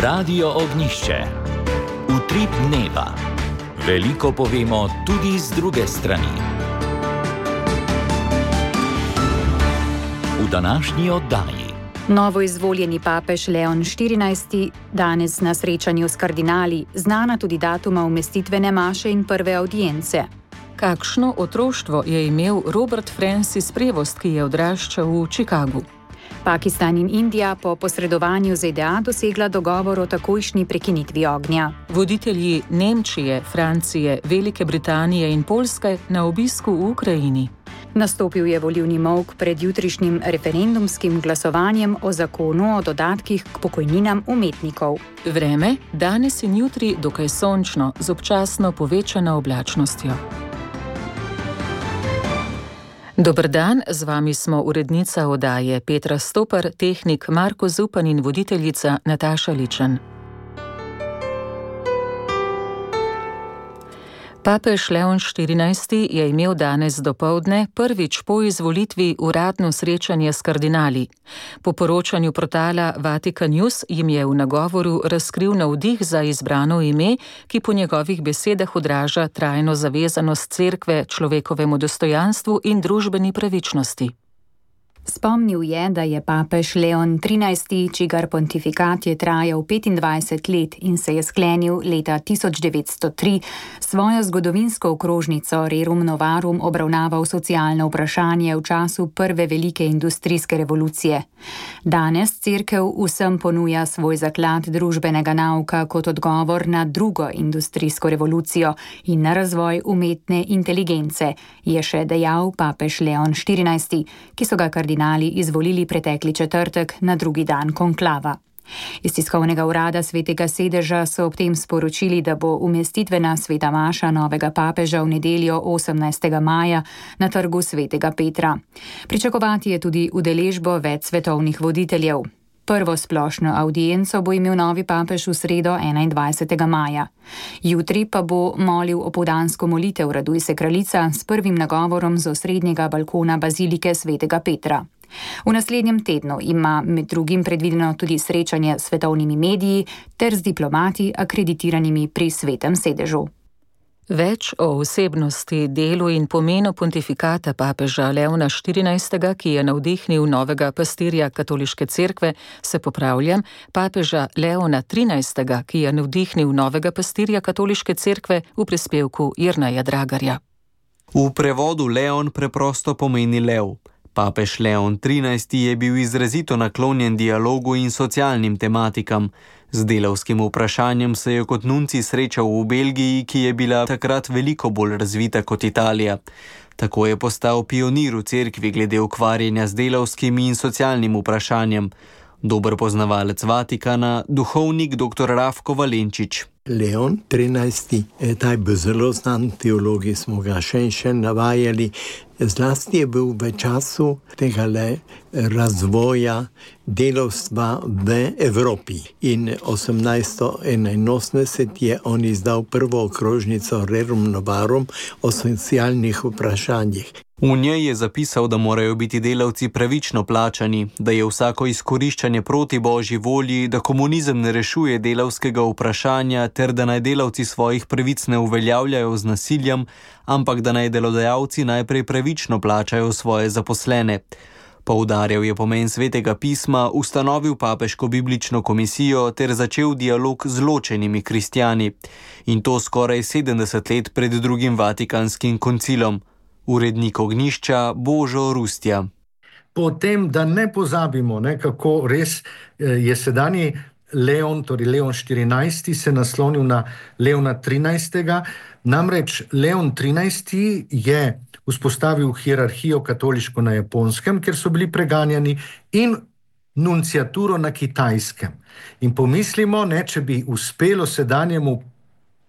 Radio Ognišče. Utrip dneva. Veliko povemo tudi z druge strani. V današnji oddaji. Novoizvoljeni papež Leon XIV danes na srečanju s kardinali, znana tudi datuma umestitvene maše in prve avdience. Kakšno otroštvo je imel Robert Francis Prevost, ki je odraščal v Chicagu? Pakistan in Indija po posredovanju ZDA dosegla dogovor o takojšnji prekinitvi ognja. Voditelji Nemčije, Francije, Velike Britanije in Poljske na obisku v Ukrajini. Nastopil je volilni molk pred jutrišnjim referendumskim glasovanjem o zakonu o dodatkih k pokojninam umetnikov. Vreme danes in jutri dokaj sončno, z občasno povečano oblačnostjo. Dober dan, z vami smo urednica oddaje Petra Stopar, tehnik Marko Zupan in voditeljica Nataša Ličen. Papež Leon XIV je imel danes dopoldne prvič po izvolitvi uradno srečanje s kardinali. Po poročanju portala Vatican News jim je v nagovoru razkril navdih za izbrano ime, ki po njegovih besedah odraža trajno zavezanost cerkve človekovemu dostojanstvu in družbeni pravičnosti. Spomnil je, da je papež Leon XIII, čigar pontifikat je trajal 25 let in se je sklenil leta 1903, svojo zgodovinsko okrožnico Rerum Novarum obravnaval socialno vprašanje v času prve velike industrijske revolucije. Danes cerkev vsem ponuja svoj zaklad družbenega nauka kot odgovor na drugo industrijsko revolucijo in na razvoj umetne inteligence, je še dejal papež Leon XIV, ki so ga kardinali izvolili pretekli četrtek na drugi dan konklava. Iz tiskovnega urada Svetega sedeža so ob tem sporočili, da bo umestitvena sveta maša novega papeža v nedeljo 18. maja na trgu Svetega Petra. Pričakovati je tudi udeležbo več svetovnih voditeljev. Prvo splošno avdienco bo imel novi papež v sredo 21. maja. Jutri pa bo molil opoldansko molitev Raduj se kraljica s prvim nagovorom z osrednjega balkona bazilike Svetega Petra. V naslednjem tednu ima med drugim predvideno tudi srečanje s svetovnimi mediji ter z diplomati akreditiranimi pri Svetem sedežu. Več o osebnosti, delu in pomenu pontifikata papeža Leona XIV, ki je navdihnil novega pastirja katoliške cerkve, se popravljam, papeža Leona XIII, ki je navdihnil novega pastirja katoliške cerkve, v prispevku Jerneja Dragarja. V prevodu Leon preprosto pomeni lev. Papež Leon XIII je bil izrazito naklonjen dialogu in socialnim tematikam. Z delavskim vprašanjem se je kot nuncij srečal v Belgiji, ki je bila takrat veliko bolj razvita kot Italija. Tako je postal pionir v cerkvi glede ukvarjanja z delavskim in socialnim vprašanjem. Dober poznavalec Vatikana, duhovnik dr. Rafko Valenčič. Leon XIII, ta je bil zelo znan, teologi smo ga še in še navajali. Zlasti je bil v času tega razvoja delavstva v Evropi. In 1881 je on izdal prvo okrožnico Rerum Novarum o socialnih vprašanjih. V njej je zapisal, da morajo biti delavci pravično plačani, da je vsako izkoriščanje proti božji volji, da komunizem ne rešuje delavskega vprašanja ter da naj delavci svojih pravic ne uveljavljajo z nasiljem, ampak da naj delodajalci najprej pravično plačajo svoje zaposlene. Poudarjal je pomen Svetega pisma, ustanovil papeško biblično komisijo ter začel dialog z ločenimi kristjani. In to skoraj 70 let pred drugim Vatikanskim koncilom. Urednik Ognišča Božo Rustja. Potem, da ne pozabimo, kako res je sedanji Leon, torej Leon XIV, se naslonil na Leona XIII. Namreč Leon XIII je vzpostavil hierarhijo katoliško na Japonskem, kjer so bili preganjani, in nunciaturo na Kitajskem. In pomislimo, če bi uspelo sedanjemu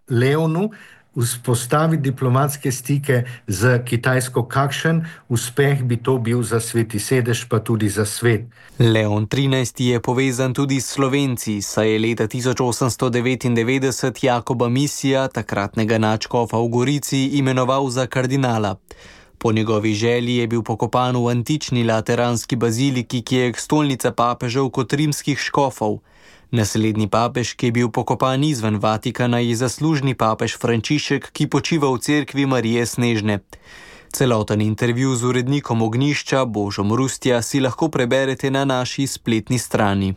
Leonu vzpostaviti diplomatske stike z Kitajsko, kakšen uspeh bi to bil za Sveti sedež, pa tudi za svet. Leon XIII je povezan tudi s Slovenci, saj je leta 1899 Jakoba Misija, takratnega nadškofa v Gorici, imenoval za kardinala. Po njegovi želji je bil pokopan v antični lateranski baziliki, ki je stolnica papežev kot rimskih škofov. Naslednji papež, ki je bil pokopan izven Vatikana, je zaslužni papež Frančišek, ki počiva v cerkvi Marije Snežne. Celoten intervju z urednikom Ognjišča Božom Rustja si lahko preberete na naši spletni strani.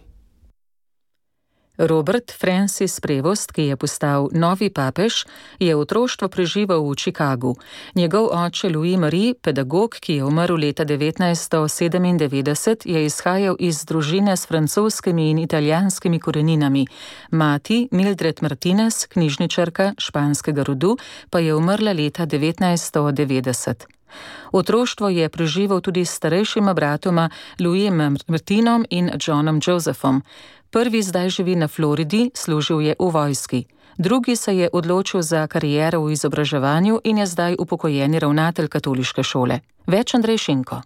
Robert Francis Prevost, ki je postal novi papež, je otroštvo preživel v Chicagu. Njegov oče Louis Marie, pedagog, ki je umrl leta 1997, je izhajal iz družine s francoskimi in italijanskimi koreninami. Mati, Mildred Martinez, knjižničarka španskega rodu, pa je umrla leta 1990. Otroštvo je preživel tudi s starejšima bratoma Louisom Martinom in Johnom Josephom. Prvi zdaj živi na Floridi, služil je v vojski. Drugi se je odločil za kariero v izobraževanju in je zdaj upokojeni ravnatelj katoliške šole. Več Andrej Šinko.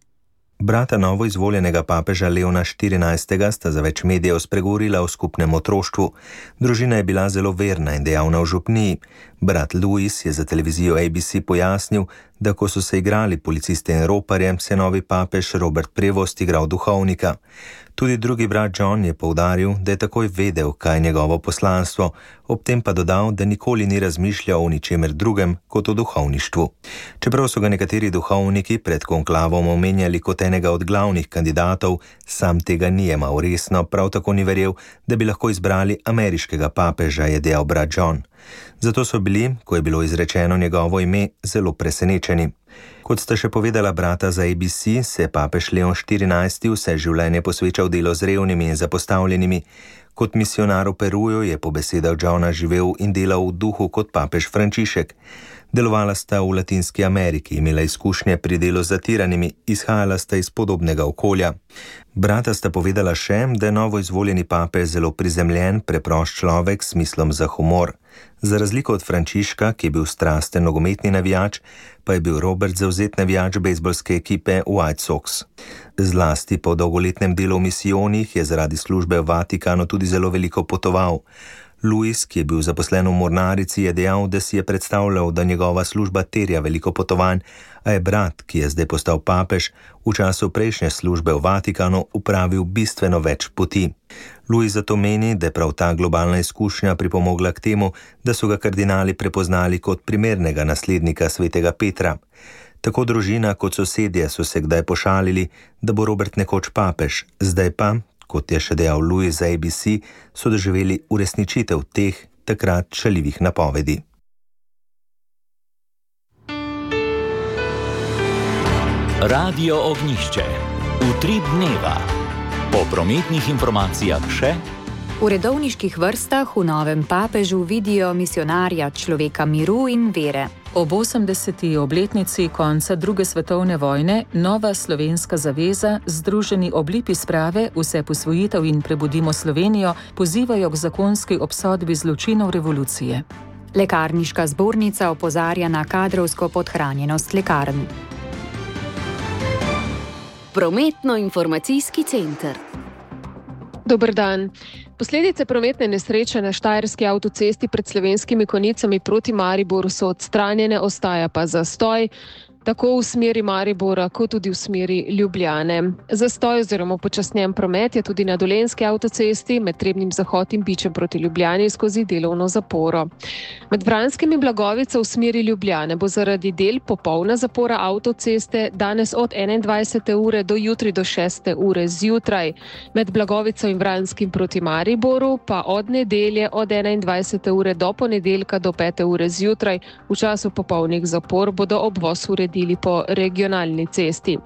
Brata novoizvoljenega papeža Leona XIV. Sta za več medijev spregovorila o skupnem otroštvu. Družina je bila zelo verna in dejavna v župniji. Brat Louis je za televizijo ABC pojasnil, da ko so se igrali policiste in roparje, se novi papež Robert Prevost igral duhovnika. Tudi drugi brat John je poudaril, da je takoj vedel, kaj je njegovo poslanstvo, ob tem pa dodal, da nikoli ni razmišljal o ničemer drugem kot o duhovništvu. Čeprav so ga nekateri duhovniki pred konklavom omenjali kot enega od glavnih kandidatov, sam tega ni jemal resno, prav tako ni verjel, da bi lahko izbrali ameriškega papeža, je dejal brat John. Zato so bili, ko je bilo izrečeno njegovo ime, zelo presenečeni. Kot sta še povedala brata za ABC, se je papež Leon XIV. Vse življenje posvečal delu z revnimi in zapostavljenimi. Kot misionar v Peruju je po besedah Johna živel in delal v duhu kot papež Frančišek. Delovala sta v Latinski Ameriki, imela izkušnje pri delu z zatiranimi, izhajala sta iz podobnega okolja. Brata sta povedala še, da je novoizvoljeni papež zelo prizemljen, preprost človek s smislom za humor. Za razliko od Frančiška, ki je bil strasten nogometni navijač, pa je bil Robert zavzet navijač bejzbolske ekipe White Sox. Zlasti po dolgoletnem delu v misijonih je zaradi službe v Vatikanu tudi zelo veliko potoval. Louis, ki je bil zaposlen v mornarici, je dejal, da si je predstavljal, da njegova služba terja veliko potovanj, a je brat, ki je zdaj postal papež, v času prejšnje službe v Vatikanu upravil bistveno več poti. Louis zato meni, da je prav ta globalna izkušnja pripomogla k temu, da so ga kardinali prepoznali kot primernega naslednika svetega Petra. Tako družina kot sosedje so se kdaj pošalili, da bo Robert nekoč papež, zdaj pa, kot je še dejal Louis za ABC, so doživeli uresničitev teh takrat šaljivih napovedi. Radio Ognjišče. Utrip dneva. Po prometnih informacijah še: v redovniških vrstah v novem papežu vidijo misionarja, človeka miru in vere. Ob 80. obletnici konca druge svetovne vojne Nova slovenska zaveza, združeni ob lipi sprave Vse posvojitev in Prebudimo Slovenijo, pozivajo k zakonski obsodbi zločinov revolucije. Lekarniška zbornica opozarja na kadrovsko podhranjenost lekarn. Prometno-informacijski center. Dober dan. Posledice prometne nesreče na štajerski avtocesti pred Slovenskimi Konjicami proti Mariboru so odstranjene, ostaja pa zastoj, tako v smeri Maribora, kot tudi v smeri Ljubljane. Zastoj oziroma počasnjen promet je tudi na Dolenjski avtocesti med Trebnjim Zahod in Bičem proti Ljubljani skozi delovno zaporo. Med Vranskim in Blagovico v smeri Ljubljane bo zaradi del popolna zapora avtoceste danes od 21. ure do jutri do 6. ure zjutraj. Med Blagovico in Vranskim proti Mariboru pa od nedelje od 21. ure do ponedeljka do 5. ure zjutraj v času popolnih zapor bodo obvoz uredili po regionalni cesti.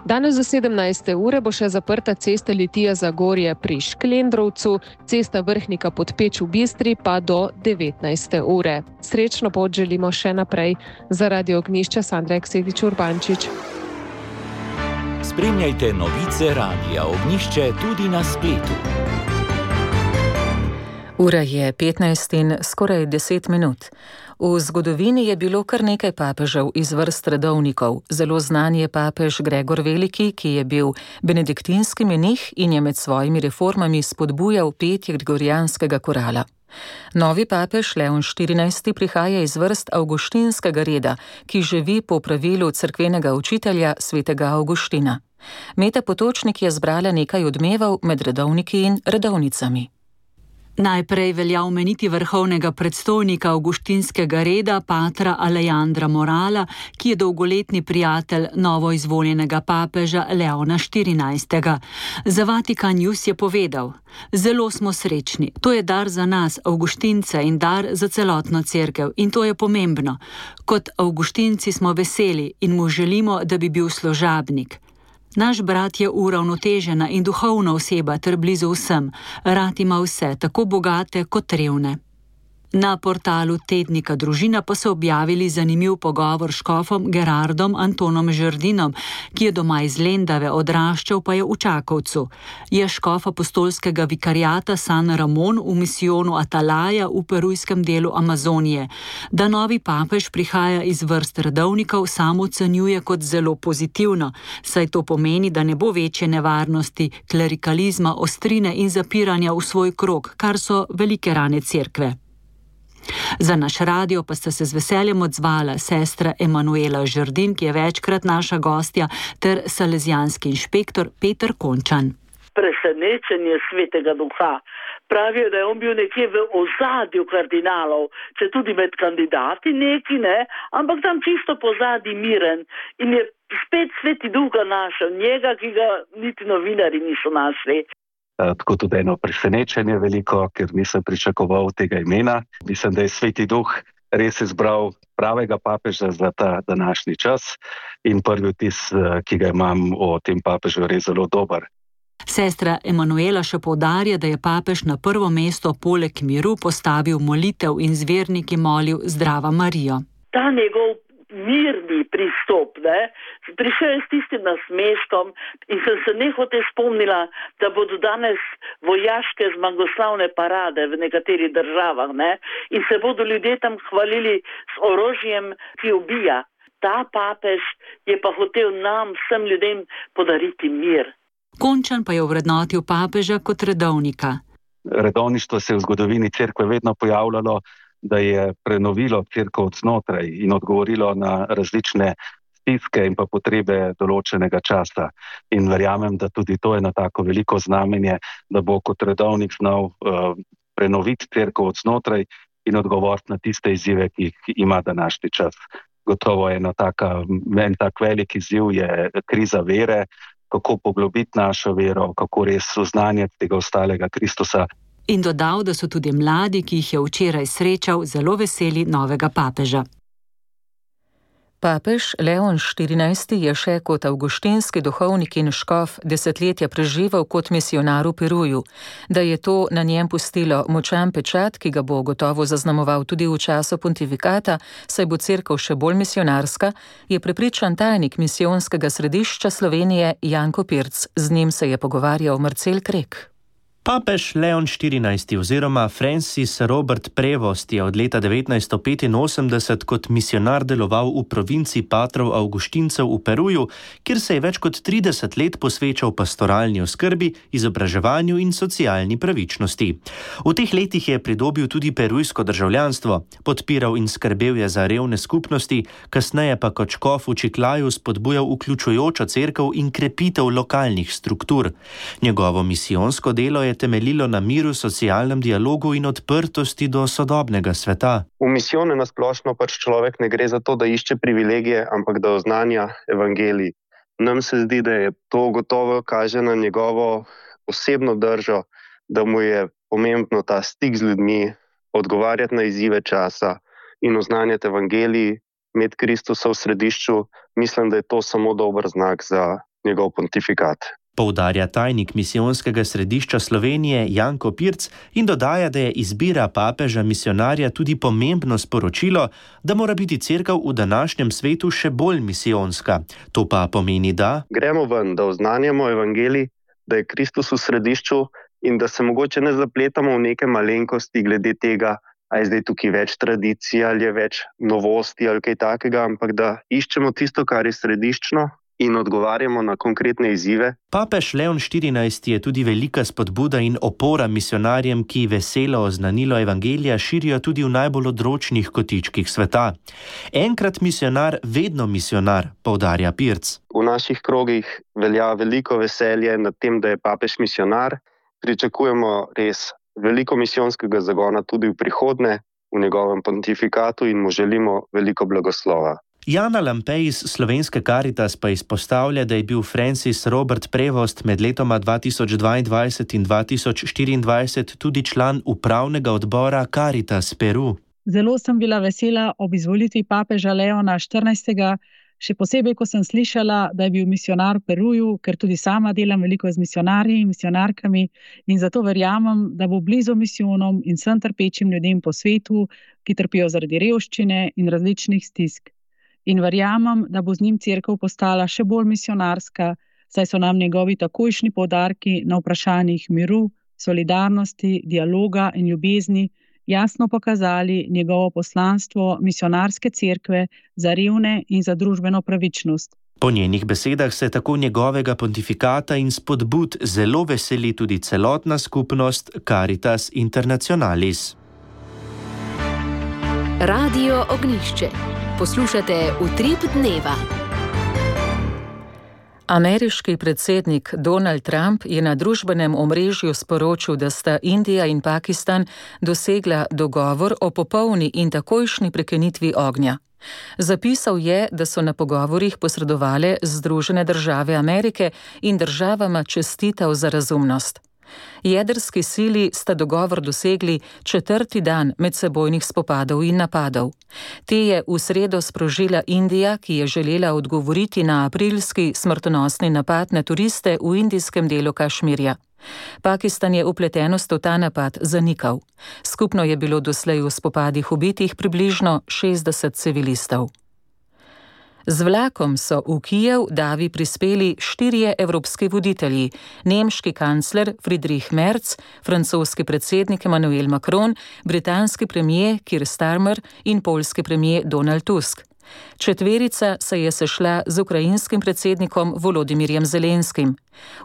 Danes do 17. ure bo še zaprta cesta Litija Zagorje pri Šklendrovcu, cesta Vrhnika pod Peč v Bistri pa do 19. ure. Srečno pot želimo še naprej. Za Radio Ognjišče Sandra Eksedič Urbančič. Spremljajte novice Radia Ognjišče tudi na spletu. Ura je 15 in skoraj 10 minut. V zgodovini je bilo kar nekaj papežev iz vrst redovnikov. Zelo znan je papež Gregor Veliki, ki je bil benediktinski menih in je med svojimi reformami spodbujal petje gregorijanskega korala. Novi papež Leon XIV. Prihaja iz vrst avguštinskega reda, ki živi po pravilu cerkvenega učitelja svetega Avguština. Meta Potočnik je zbrala nekaj odmevov med redovniki in redovnicami. Najprej velja omeniti vrhovnega predstojnika avguštinskega reda, patra Alejandra Morala, ki je dolgoletni prijatelj novoizvoljenega papeža Leona XIV. Za Vatikan News je povedal: "Zelo smo srečni. To je dar za nas, avguštince, in dar za celotno cerkev, in to je pomembno. Kot avguštinci smo veseli in mu želimo, da bi bil služabnik. Naš brat je uravnotežena in duhovna oseba ter blizu vsem. Rad ima vse, tako bogate kot revne." Na portalu tednika Družina pa so objavili zanimiv pogovor s škofom Gerardom Antonom Žerdinom, ki je doma iz Lendave, odraščal pa je v Čakovcu. Je škof apostolskega vikariata San Ramon v misijonu Atalaja v perujskem delu Amazonije. Da novi papež prihaja iz vrst redovnikov, sam ocenjuje kot zelo pozitivno, saj to pomeni, da ne bo večje nevarnosti klerikalizma, ostrine in zapiranja v svoj krog, kar so velike rane cerkve. Za naš radio pa sta se z veseljem odzvala sestra Emanuela Žerdin, ki je večkrat naša gostja, ter salezijanski inšpektor Peter Končan. Presenečenje Svetega Duha. Pravijo, da je on bil nekje v ozadju kardinalov, če tudi med kandidati neki, ne, ampak tam čisto pozadnji miren in je spet Sveti Duh ga našel, njega, ki ga niti novinari niso našli. Tako tudi eno presenečenje veliko, ker nisem pričakoval tega imena. Mislim, da je Sveti Duh res izbral pravega papeža za ta današnji čas in prvi vtis, ki ga imam o tem papežu, je res zelo dober. Sestra Emanuela še poudarja, da je papež na prvo mesto poleg miru postavil molitev in z verniki molil Zdrava Marijo. Ta njegov mirni pristop, ne? Prišel je s tistim nasmeškom in sem se nehote spomnila, da bodo danes vojaške zmagoslavne parade v nekaterih državah, ne? In se bodo ljudje tam hvalili s orožjem, ki ubija. Ta papež je pa hotel nam, vsem ljudem, podariti mir. Končan pa je ovrednotil papeža kot redovnika. Redovništvo se je v zgodovini cerkve vedno pojavljalo, da je prenovilo cerkev od znotraj in odgovorilo na različne stiske in pa potrebe določenega časa. In verjamem, da tudi to je na tako veliko znamenje, da bo kot redovnik znal prenoviti cerkev od znotraj in odgovoriti na tiste izzive, ki jih ima današnji čas. Gotovo je en tak velik izziv je kriza vere, kako poglobiti našo vero, kako res oznanjati tega ostalega Kristusa. In dodal, da so tudi mladi, ki jih je včeraj srečal, zelo veseli novega papeža. Papež Leon XIV je še kot avguštinski duhovnik in škof desetletja preživel kot misionar v Peruju. Da je to na njem pustilo močan pečat, ki ga bo gotovo zaznamoval tudi v času pontifikata, saj bo cerkev še bolj misionarska, je prepričan tajnik misijonskega središča Slovenije Janko Pirc. Z njim se je pogovarjal Marcel Krek. Papež Leon XIV oziroma Francis Robert Prevost je od leta 1985 kot misionar deloval v provinci patrov avguštincev v Peruju, kjer se je več kot 30 let posvečal pastoralni oskrbi, izobraževanju in socialni pravičnosti. V teh letih je pridobil tudi perujsko državljanstvo, podpiral in skrbel je za revne skupnosti, kasneje pa kot škof v Čiklaju spodbujal vključujočo cerkev in krepitev lokalnih struktur. Njegovo misijonsko delo je temeljilo na miru, socialnem dialogu in odprtosti do sodobnega sveta. V misijone nasplošno človek ne gre za to, da išče privilegije, ampak da oznanja evangelij. Nam se zdi, da je to gotovo kaže na njegovo osebno držo, da mu je pomembno ta stik z ljudmi, odgovarjati na izzive časa in oznanjati evangelij, imeti Kristusa v središču. Mislim, da je to samo dober znak za njegov pontifikat. Poudarja tajnik misijonskega središča Slovenije Janko Pirc in dodaja, da je izbira papeža misionarja tudi pomembno sporočilo, da mora biti cerkev v današnjem svetu še bolj misijonska. To pa pomeni, da gremo ven, da oznanjamo evangelij, da je Kristus v središču in da se mogoče ne zapletamo v neke malenkosti glede tega, a je zdaj tukaj več tradicij ali je več novosti ali kaj takega, ampak da iščemo tisto, kar je središčno in odgovarjamo na konkretne izzive. Papež Leon XIV je tudi velika spodbuda in opora misionarjem, ki veselo oznanilo evangelija širijo tudi v najbolj odročnih kotičkih sveta. Enkrat misionar, vedno misionar, poudarja Pirc. V naših krogih velja veliko veselje nad tem, da je papež misionar. Pričakujemo res veliko misijonskega zagona tudi v prihodnje, v njegovem pontifikatu in mu želimo veliko blagoslova. Jana Lampej iz Slovenske Karitas pa izpostavlja, da je bil Francis Robert Prevost med letoma 2022 in 2024 tudi član upravnega odbora Caritas Peru. Zelo sem bila vesela ob izvolitvi papeža Leona XIV., še posebej, ko sem slišala, da je bil misionar v Peruju, ker tudi sama delam veliko z misionarji in misionarkami in zato verjamem, da bo blizu misijonom in vsem trpečim ljudem po svetu, ki trpijo zaradi revščine in različnih stisk. In verjamem, da bo z njim cerkev postala še bolj misionarska, saj so nam njegovi takojšnji poudarki na vprašanjih miru, solidarnosti, dialoga in ljubezni jasno pokazali njegovo poslanstvo misionarske cerkve za revne in za družbeno pravičnost. Po njenih besedah se tako njegovega pontifikata in spodbud zelo veseli tudi celotna skupnost Caritas Internationalis. Radio Ognjišče. Poslušate Utrip dneva. Ameriški predsednik Donald Trump je na družbenem omrežju sporočil, da sta Indija in Pakistan dosegla dogovor o popolni in takojšnji prekinitvi ognja. Zapisal je, da so na pogovorih posredovale Združene države Amerike in državama čestital za razumnost. Jedrski sili sta dogovor dosegli 4. dan medsebojnih spopadov in napadov. Te je v sredo sprožila Indija, ki je želela odgovoriti na aprilski smrtonosni napad na turiste v indijskem delu Kašmirja. Pakistan je vpletenost v ta napad zanikal. Skupno je bilo doslej v spopadih ubitih približno 60 civilistov. Z vlakom so v Kijev davi prispeli 4 evropski voditelji, nemški kancler Friedrich Merz, francoski predsednik Emmanuel Macron, britanski premier Keir Starmer in poljski premier Donald Tusk. Četverica se je sešla z ukrajinskim predsednikom Volodimirjem Zelenskim.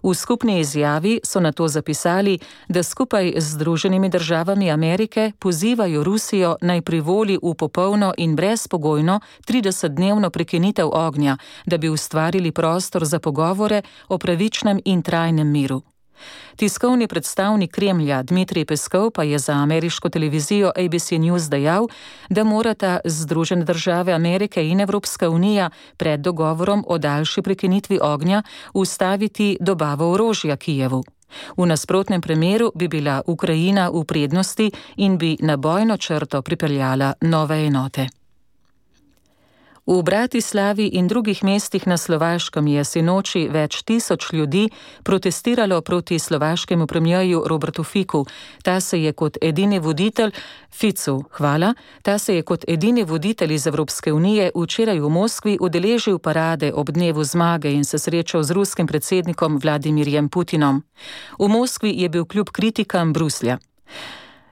V skupni izjavi so nato zapisali, da skupaj z Združenimi državami Amerike pozivajo Rusijo naj privoli v popolno in brezpogojno 30-dnevno prekinitev ognja, da bi ustvarili prostor za pogovore o pravičnem in trajnem miru. Tiskovni predstavnik Kremlja Dmitrij Peskov pa je za ameriško televizijo ABC News dejal, da morata Združene države Amerike in Evropska unija pred dogovorom o daljši prekinitvi ognja ustaviti dobavo orožja Kijevu. V nasprotnem primeru bi bila Ukrajina v prednosti in bi na bojno črto pripeljala nove enote. V Bratislavi in drugih mestih na Slovaškem je sinoči več tisoč ljudi protestiralo proti slovaškemu premierju Robertu Ficu. Ta se je kot edini voditelj iz Evropske unije včeraj v Moskvi udeležil parade ob dnevu zmage in se srečal z ruskim predsednikom Vladimirjem Putinom. V Moskvi je bil kljub kritikam Bruslja.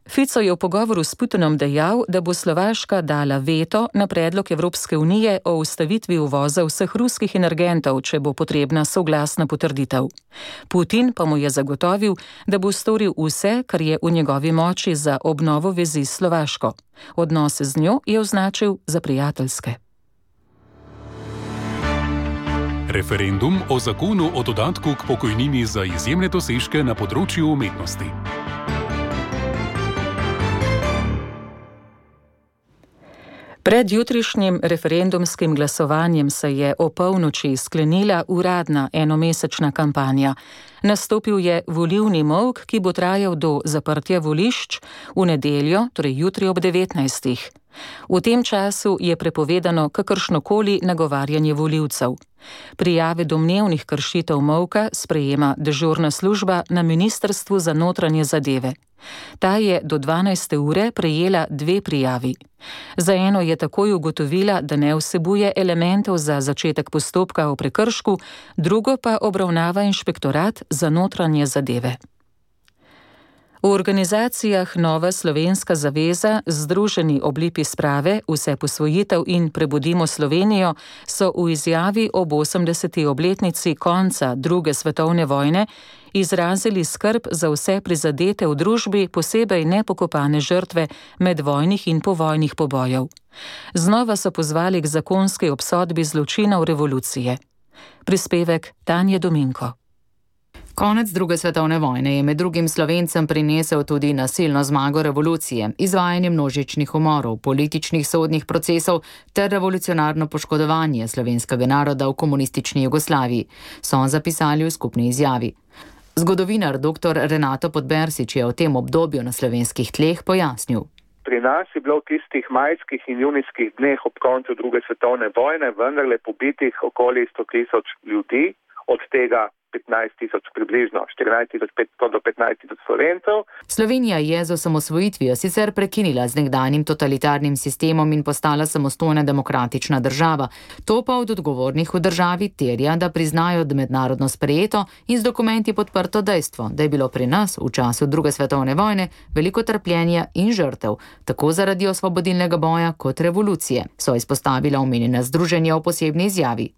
Fico je v pogovoru s Putinom dejal, da bo Slovaška dala veto na predlog Evropske unije o ustavitvi uvoza vseh ruskih energentov, če bo potrebna soglasna potrditev. Putin pa mu je zagotovil, da bo storil vse, kar je v njegovi moči za obnovo vezi s Slovaško. Odnose z njo je označil za prijateljske. Referendum o zakonu o dodatku k pokojnini za izjemne dosežke na področju umetnosti. Pred jutrišnjim referendumskim glasovanjem se je o polnoči sklenila uradna enomesečna kampanja. Nastopil je volilni molk, ki bo trajal do zaprtja volišč v nedeljo, torej jutri ob 19. V tem času je prepovedano kakršnokoli nagovarjanje volivcev. Prijave domnevnih kršitev molka sprejema dežurna služba na Ministrstvu za notranje zadeve. Ta je do 12. ure prejela 2 prijavi. Za eno je takoj ugotovila, da ne vsebuje elementov za začetek postopka o prekršku, drugo pa obravnava inšpektorat za notranje zadeve. V organizacijah Nova Slovenska zaveza, Združeni oblipi sprave, Vse posvojitev in Prebudimo Slovenijo so v izjavi ob 80. obletnici konca II. Svetovne vojne izrazili skrb za vse prizadete v družbi, posebej nepokopane žrtve medvojnih in povojnih pobojev. Znova so pozvali k zakonski obsodbi zločinov revolucije. Prispevek Tanje Dominko. Konec druge svetovne vojne je med drugim Slovencem prinesel tudi nasilno zmago revolucije, izvajanje množičnih umorov, političnih sodnih procesov ter revolucionarno poškodovanje slovenskega naroda v komunistični Jugoslaviji, so zapisali v skupni izjavi. Zgodovinar dr. Renato Podbersič je o tem obdobju na slovenskih tleh pojasnil. Pri nas je bilo v tistih majskih in junijskih dneh ob koncu druge svetovne vojne vendarle pobitih okoli 100,000 ljudi, od tega 15,000 približno, 14,500 do 15,000 Slovencev. Slovenija je z osamosvojitvijo sicer prekinila z nekdanjim totalitarnim sistemom in postala samostojna demokratična država. To pa od odgovornih v državi terja, da priznajo mednarodno sprejeto in z dokumenti podprto dejstvo, da je bilo pri nas v času druge svetovne vojne veliko trpljenja in žrtev, tako zaradi osvobodilnega boja kot revolucije, so izpostavila omenjena združenja v posebni izjavi.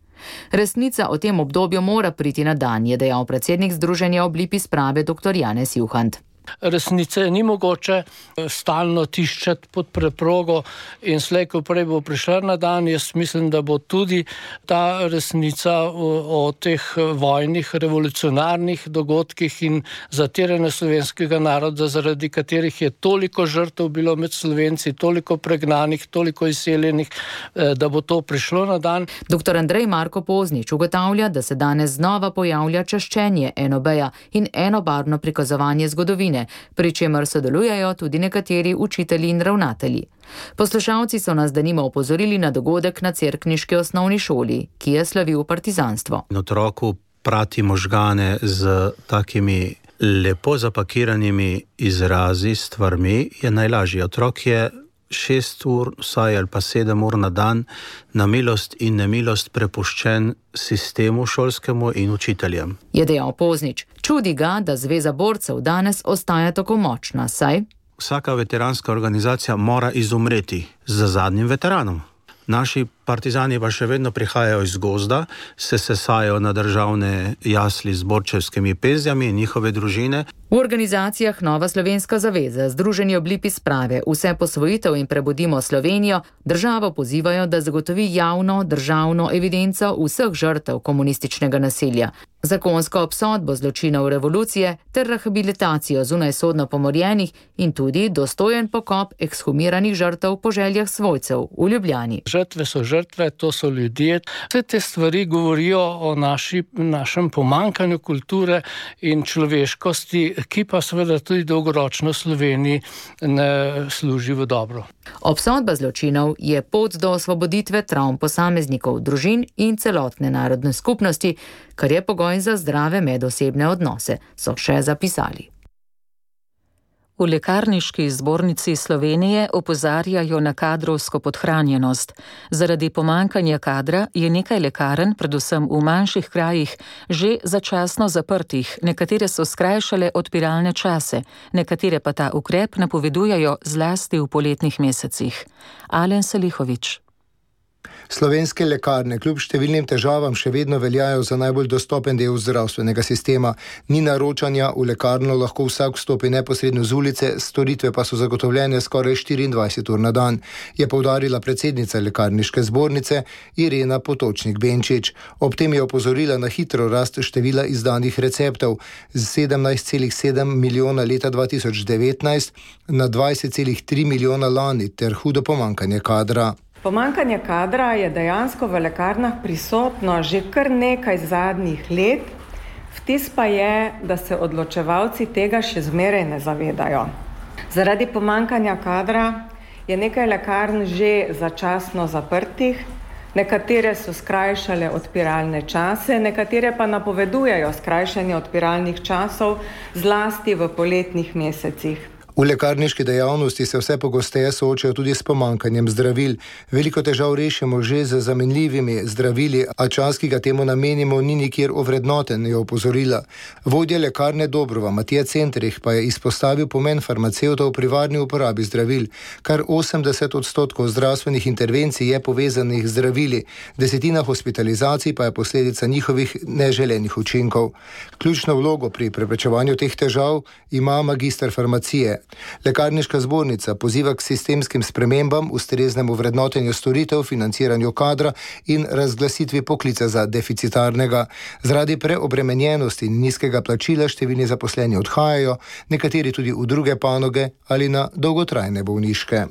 Resnica o tem obdobju mora priti na dan, je dejal predsednik Združenja Oblipi sprave dr. Janez Juhant. Resnice ni mogoče stalno tiščati pod preprogo in slej, ko prej bo prišla na dan, jaz mislim, da bo tudi ta resnica o teh vojnih, revolucionarnih dogodkih in zatiranja slovenskega naroda, zaradi katerih je toliko žrtev bilo med Slovenci, toliko pregnanih, toliko izseljenih, da bo to prišlo na dan. Dr. Andrej Marko Poznič ugotavlja, da se danes znova pojavlja čaščenje enobeja in enobarvno prikazovanje zgodovine, pri čemer sodelujejo tudi nekateri učitelji in ravnatelji. Poslušalci so nas denimo opozorili na dogodek na cerkniški osnovni šoli, ki je slavil partizanstvo. Otroku prati možgane z takimi lepo zapakiranimi izrazi, stvarmi je najlažje. Otrok je 6 ur, vsaj ali pa 7 ur na dan, na milost in nemilost prepuščen sistemu šolskemu in učiteljem. Je dejal Poznič. Čudi ga, da Zveza borcev danes ostaja tako močna, saj vsaka veteranska organizacija mora izumreti z zadnjim veteranom. Naši partizani pa še vedno prihajajo iz gozda, se sesajo na državne jasli z borčevskimi penzijami in njihove družine. V organizacijah Nova Slovenska zaveza, Združenje Oblipi sprave, Vse posvojitev in Prebudimo Slovenijo državo pozivajo, da zagotovi javno državno evidenco vseh žrtev komunističnega nasilja, zakonsko obsodbo zločinov revolucije ter rehabilitacijo zunajsodno pomorjenih in tudi dostojen pokop ekshumiranih žrtev po željah svojcev v Ljubljani. Žrtve so žrtve, to so ljudje. Vse te stvari govorijo o našem pomankanju kulture in človeškosti, ki pa seveda tudi dolgoročno Sloveniji ne služi v dobro. Obsodba zločinov je pot do osvoboditve travm posameznikov, družin in celotne narodne skupnosti, kar je pogoj za zdrave medosebne odnose, so še zapisali. V Lekarniški zbornici Slovenije opozarjajo na kadrovsko podhranjenost. Zaradi pomankanja kadra je nekaj lekarn, predvsem v manjših krajih, že začasno zaprtih. Nekatere so skrajšale odpiralne čase, nekatere pa ta ukrep napovedujejo zlasti v poletnih mesecih. Alen Selihovič. Slovenske lekarne kljub številnim težavam še vedno veljajo za najbolj dostopen del zdravstvenega sistema. Ni naročanja, v lekarno lahko vsak vstopi neposredno z ulice, storitve pa so zagotovljene skoraj 24 ur na dan, je poudarila predsednica Lekarniške zbornice Irena Potočnik-Benčič. Ob tem je opozorila na hitro rast števila izdanih receptov z 17,7 milijona leta 2019 na 20,3 milijona lani ter hudo pomankanje kadra. Pomankanje kadra je dejansko v lekarnah prisotno že kar nekaj zadnjih let, vtis pa je, da se odločevalci tega še zmeraj ne zavedajo. Zaradi pomankanja kadra je nekaj lekarn že začasno zaprtih, nekatere so skrajšale odpiralne čase, nekatere pa napovedujejo skrajšanje odpiralnih časov zlasti v poletnih mesecih. V lekarniški dejavnosti se vse pogosteje soočajo tudi s pomankanjem zdravil. Veliko težav rešimo že z zamenljivimi zdravili, a čas, ki ga temu namenimo, ni nikjer ovrednoten, je opozorila. Vodja lekarne Dobrova Matija Centrih pa je izpostavil pomen farmacevtov pri varni uporabi zdravil. Kar 80% zdravstvenih intervencij je povezanih z zdravili, 10% hospitalizacij pa je posledica njihovih neželenih učinkov. Ključno vlogo pri preprečevanju teh težav ima magister farmacije Lekarniška zbornica poziva k sistemskim spremembam, ustreznemu vrednotenju storitev, financiranju kadra in razglasitvi poklica za deficitarnega. Zaradi preobremenjenosti in nizkega plačila številni zaposleni odhajajo, nekateri tudi v druge panoge ali na dolgotrajne bolniške.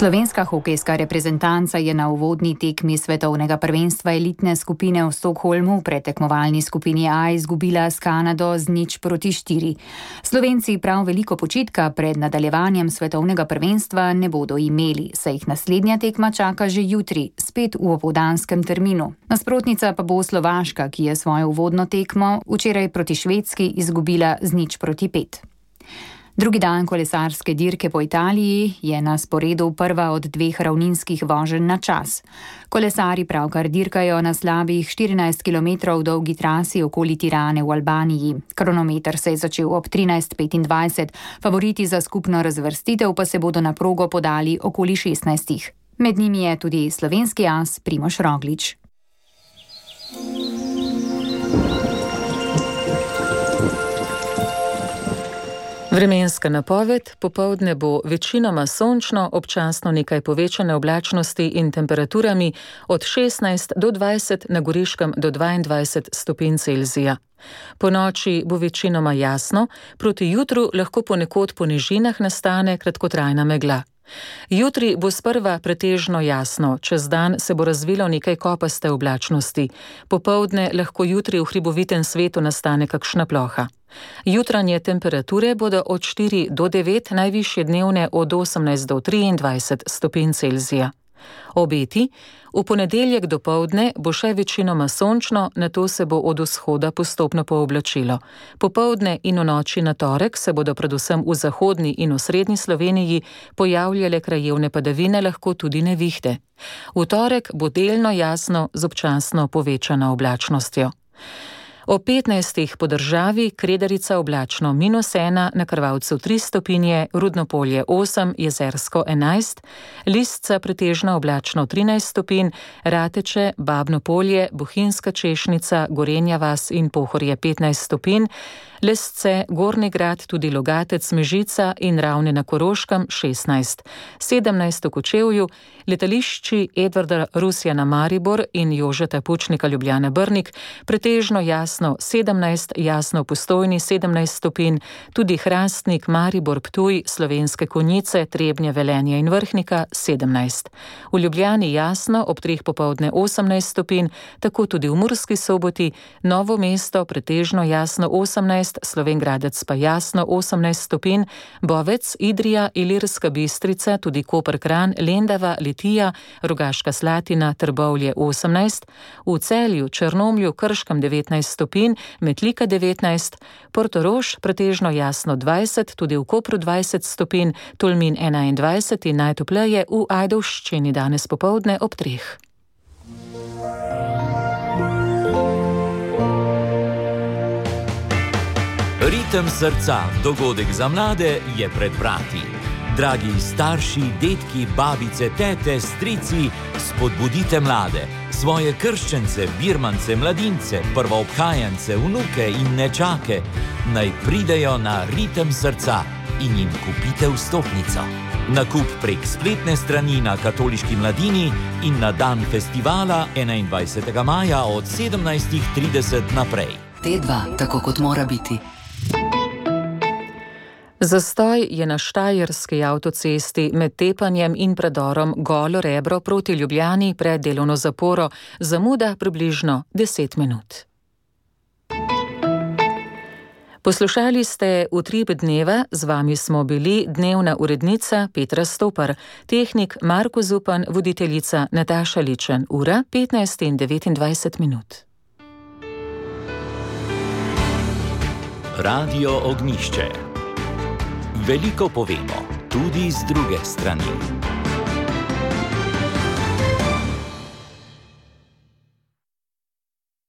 Slovenska hokejska reprezentanca je na uvodni tekmi svetovnega prvenstva elitne skupine v Stockholmu v predtekmovalni skupini A izgubila s Kanado z 0-4. Slovenci prav veliko počitka pred nadaljevanjem svetovnega prvenstva ne bodo imeli, saj jih naslednja tekma čaka že jutri, spet v opoldanskem terminu. Nasprotnica pa bo Slovaška, ki je svojo uvodno tekmo včeraj proti Švedski izgubila z 0-5. Drugi dan kolesarske dirke po Italiji je na sporedu prva od 2 ravninskih voženj na čas. Kolesari pravkar dirkajo na slabih 14 km dolgi trasi okoli Tirane v Albaniji. Kronometer se je začel ob 13:25, favoriti za skupno razvrstitev pa se bodo na progo podali okoli 16. Med njimi je tudi slovenski as Primož Roglič. Vremenska napoved: popoldne bo večinoma sončno, občasno nekaj povečane oblačnosti in temperaturami od 16 do 20, na Goriškem do 22 stopinj Celzija. Po noči bo večinoma jasno, proti jutru lahko ponekod po nižinah nastane kratkotrajna megla. Jutri bo sprva pretežno jasno, čez dan se bo razvilo nekaj kopaste oblačnosti. Popoldne lahko jutri v hribovitem svetu nastane kakšna ploha. Jutranje temperature bodo od 4 do 9, najvišje dnevne od 18 do 23 stopinj Celzija. Obeti: v ponedeljek dopoldne bo še večinoma sončno, nato se bo od vzhoda postopno pooblačilo. Popoldne in v noči na torek se bodo predvsem v zahodni in osrednji Sloveniji pojavljale krajevne padavine, lahko tudi nevihte. V torek bo delno jasno z občasno povečano oblačnostjo. O 15 po državi: Kredarica oblačno -1, na Krvavcu 3 stopinje, Rudnopolje 8, Jezersko 11, Listca pretežno oblačno 13 stopinj, Rateče, Babno Polje, Bohinjska Češnica, Gorenja vas in Pohorje 15 stopinj, Lesce, Gornji Grad, tudi Logatec, Mežica in Ravne na Koroškem 16, 17 v Kočevju, letališči Edvarda Rusjana Maribor in Jožeta Pučnika Ljubljana Brnik pretežno jasno 17, jasno v Postojni 17 stopinj, tudi Hrastnik, Maribor, Ptuj, Slovenske Konjice, Trebnje, Velenje in Vrhnika 17. V Ljubljani jasno, ob 3 popoldne 18 stopinj, tako tudi v Murski Soboti, Novo mesto pretežno jasno 18, Slovenj Gradec pa jasno 18 stopinj, Bovec, Idrija, Ilirska Bistrica, tudi Koper, Kranj, Lendava, Litija, Rogaška Slatina, Trbovlje 18, v Celju, Črnomlju, Krškem 19 stopinj, Metlika 19, Portorož pretežno jasno 20, tudi v Kopru 20 stopinj, Tolmin 21 in najtopleje v Ajdovščini danes popoldne ob 3. Ritem srca, dogodek za mlade je pred vrati. Dragi starši, dedki, babice, tete, strici, spodbudite mlade, svoje krščence, birmance, mladince, prvoobhajance, vnuke in nečake, naj pridejo na Ritem srca in jim kupite vstopnico. Nakup prek spletne strani na Katoliški mladini in na dan festivala 21. maja od 17:30 naprej. T2, tako kot mora biti. Zastoj je na štajerski avtocesti med Tepanjem in predorom Golo Rebro proti Ljubljani pred delovno zaporo, zamuda približno 10 minut. Poslušali ste Utrip dneva, z vami smo bili dnevna urednica Petra Stopar, tehnik Marko Zupan, voditeljica Nataša Ličen, ura 15:29 minut. Radio Ognjišče. Veliko povemo, tudi z druge strani.